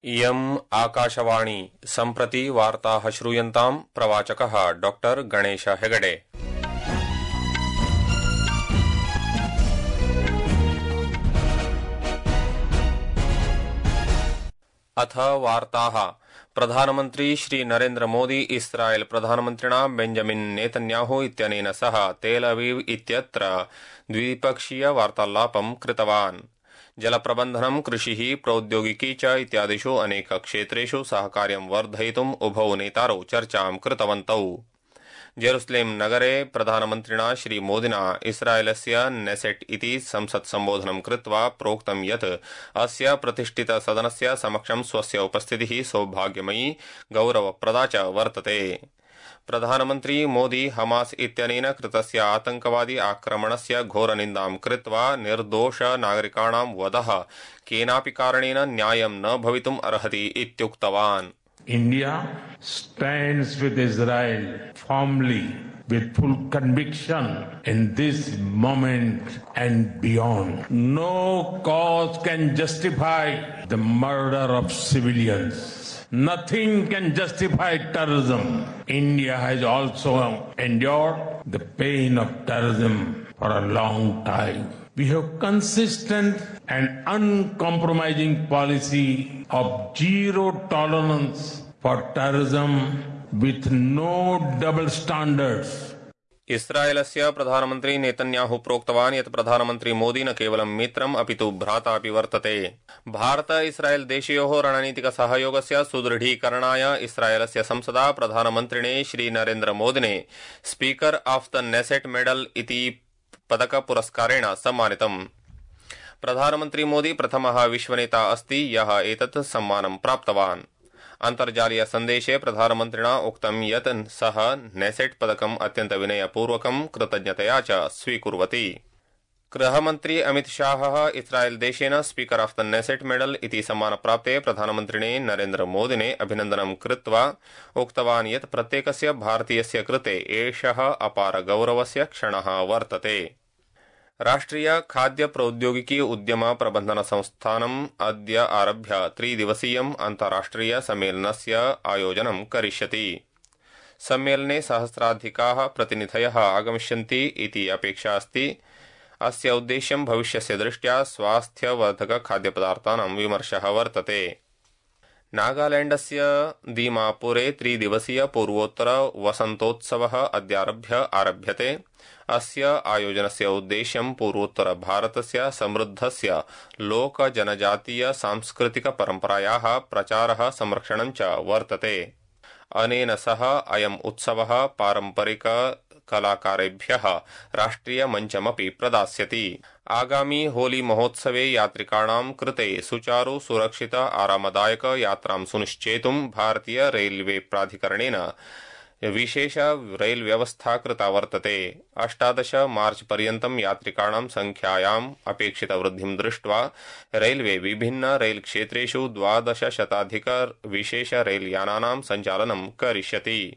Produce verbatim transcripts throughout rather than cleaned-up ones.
इयम् आकाशवाणी सम्प्रति वार्ताः श्रूयन्ताम् प्रवाचकः डॉक्टर गणेश हेगडे। अथ वार्ताः। प्रधानमन्त्री श्री नरेन्द्र मोदी इस्राएल प्रधानमन्त्रिणा बेंजामिन नेतन्याहू इत्यनेन सह तेल अवीव इत्यत्र द्विपक्षीय वार्तालापं कृतवान्। जलप्रबन्धनं कृषिः प्रौद्योगिकी च इत्यादिषु अनेक क्षेत्रेषु सहकार्यं वर्धयितुम् उभौ नेतारौ चर्चां कृतवन्तौ। जेरुसलेम नगरे प्रधानमन्त्रिणा श्री मोदिना इस्राएलस्य नेसेट इति संसत् सम्बोधनं कृत्वा प्रोक्तं यत् अस्य प्रतिष्ठित सदनस्य समक्षं स्वस्य उपस्थितिः सौभाग्यमयी गौरवप्रदा च वर्तते। प्रधानमन्त्री मोदी हमास इत्यनेन कृतस्य आतंकवादी आक्रमणस्य घोरनिन्दां कृत्वा निर्दोष नागरिकाणां वधः केनापि कारणेन न्यायं न भवितुम् अर्हति इत्युक्तवान्। India stands with Israel firmly with full conviction in this moment and beyond. No cause can justify the murder of civilians. Nothing can justify terrorism. India has also endured the pain of terrorism for a long time. We have consistent and uncompromising policy of zero tolerance for terrorism with no double standards. इस्राएलस्य प्रधानमन्त्री Netanyahu प्रोक्तवान् यत् प्रधानमन्त्री मोदी न केवलं मित्रम् अपितु भ्राता अपि वर्तते। भारत इस्राएल देशयोः रणनीतिक सहयोगस्य सुदृढीकरणाय इस्राएलस्य संसदा प्रधानमन्त्रिणे श्री नरेन्द्र मोदिने speaker of the Knesset medal इति पदक पुरस्कारेण सम्मानितम्। प्रधानमन्त्री मोदी प्रथमः विश्वनेता अस्ति यः एतत् सम्मानं प्राप्तवान्। अन्तर्जालीय सन्देशे प्रधानमन्त्रिणा उक्तं यत् सः नेसेट पदकम् अत्यन्त विनयपूर्वकं कृतज्ञतया च स्वीकुर्वति। गृहमन्त्री अमित शाहः इस्राएल देशेन speaker of the Knesset medal इति सम्मानप्राप्ते प्रधानमन्त्रिणे नरेन्द्र मोदिने अभिनन्दनं कृत्वा उक्तवान् यत् प्रत्येकस्य भारतीयस्य कृते एषः अपार गौरवस्य क्षणः वर्तते। राष्ट्रिय खाद्य प्रौद्योगिकी उद्यम प्रबन्धन संस्थानम् अद्य आरभ्य त्रिदिवसीयम् अन्ताराष्ट्रिय सम्मेलनस्य आयोजनं करिष्यति। सम्मेलने सहस्राधिकाः प्रतिनिधयः आगमिष्यन्ति इति अपेक्षा अस्ति। अस्य उद्देश्यं भविष्यस्य दृष्ट्या स्वास्थ्यवर्धक खाद्यपदार्थानां विमर्शः वर्तते। नागालैण्डस्य दीमापुरे त्रिदिवसीय पूर्वोत्तर वसन्तोत्सवः अद्यारभ्य आरभ्यते। अस्य आयोजनस्य उद्देश्यं पूर्वोत्तर भारतस्य समृद्धस्य लोक जनजातीय सांस्कृतिक परम्परायाः प्रचारः संरक्षणं च वर्तते। अनेन सह अयम् उत्सवः पारम्परिक कलाकारेभ्यः राष्ट्रिय मञ्चमपि प्रदास्यति। आगामी होली महोत्सवे यात्रिकाणां कृते सुचारु सुरक्षित आरामदायक यात्रां सुनिश्चेतुं भारतीय रेलवे प्राधिकरणेन विशेष रेल व्यवस्था कृता वर्तते। अष्टादश मार्च पर्यन्तं यात्रिकाणां संख्यायाम् अपेक्षित वृद्धिं दृष्ट्वा रेलवे विभिन्न रेल क्षेत्रेषु द्वादश शताधिक विशेष रेल यानानां सञ्चालनं करिष्यति।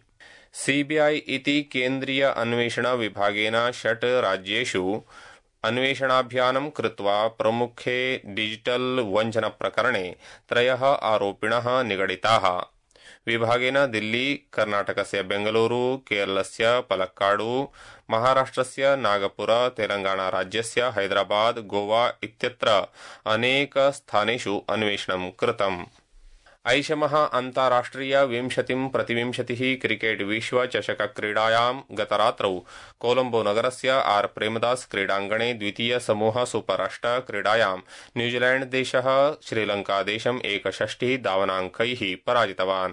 सीबीआई इति केन्द्रीय अन्वेषण विभागेन षट् राज्येषु अन्वेषणाभियानं कृत्वा प्रमुखे डिजिटल वञ्चन प्रकरणे त्रयः आरोपिणः निगडिताः। विभागेन दिल्ली, कर्नाटकस्य बेंगलुरु, केरलस्य पलक्काडु, महाराष्ट्रस्य नागपुर, तेलंगाना राज्यस्य हैदराबाद, गोवा इत्यत्र अनेक स्थानेषु अन्वेषणं कृतम्। ऐषमः अन्ताराष्ट्रिय विंशतिं प्रतिविंशतिः क्रिकेट विश्व चषक क्रीडायां गतरात्रौ कोलंबो नगरस्य आर प्रेमदास क्रीडाङ्गणे द्वितीय समूह सुपर अष्ट क्रीडायां न्यूजीलैंड देशः श्रीलंका देशम् एकषष्टिः धावनाङ्कैः पराजितवान्।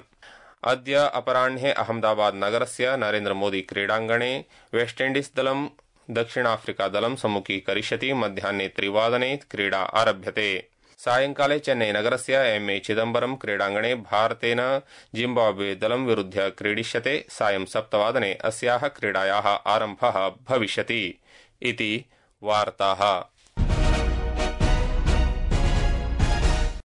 अद्य अपराह्णे अहमदाबाद नगरस्य नरेन्द्र मोदी क्रीडाङ्गणे वेस्टइण्डीज दलं दक्षिणाफ्रिका दलं सम्मुखीकरिष्यति। मध्याह्ने त्रिवादने क्रीडा आरभ्यते। सायंकाले चेन्नई नगरस्य एम ए चिदम्बरम क्रीडाङ्गणे भारतेन जिम्बाब्वे दलं विरुध्य क्रीडिष्यते। सायं सप्तवादने अस्याः क्रीडायाः आरम्भः भविष्यति। इति वार्ताः।